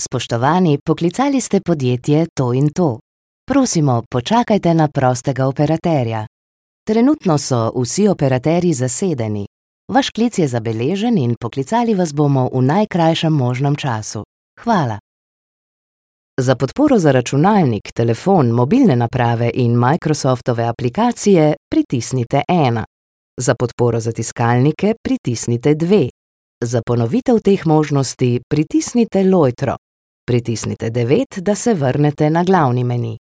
Spoštovani, poklicali ste podjetje to in to. Prosimo, počakajte na prostega operaterja. Trenutno so vsi operaterji zasedeni. Vaš klic je zabeležen in poklicali vas bomo v najkrajšem možnem času. Hvala. Za podporo za računalnik, telefon, mobilne naprave in Microsoftove aplikacije pritisnite 1. Za podporo za tiskalnike pritisnite 2. Za ponovitev teh možnosti pritisnite lojtro. Pritisnite 9, da se vrnete na glavni meni.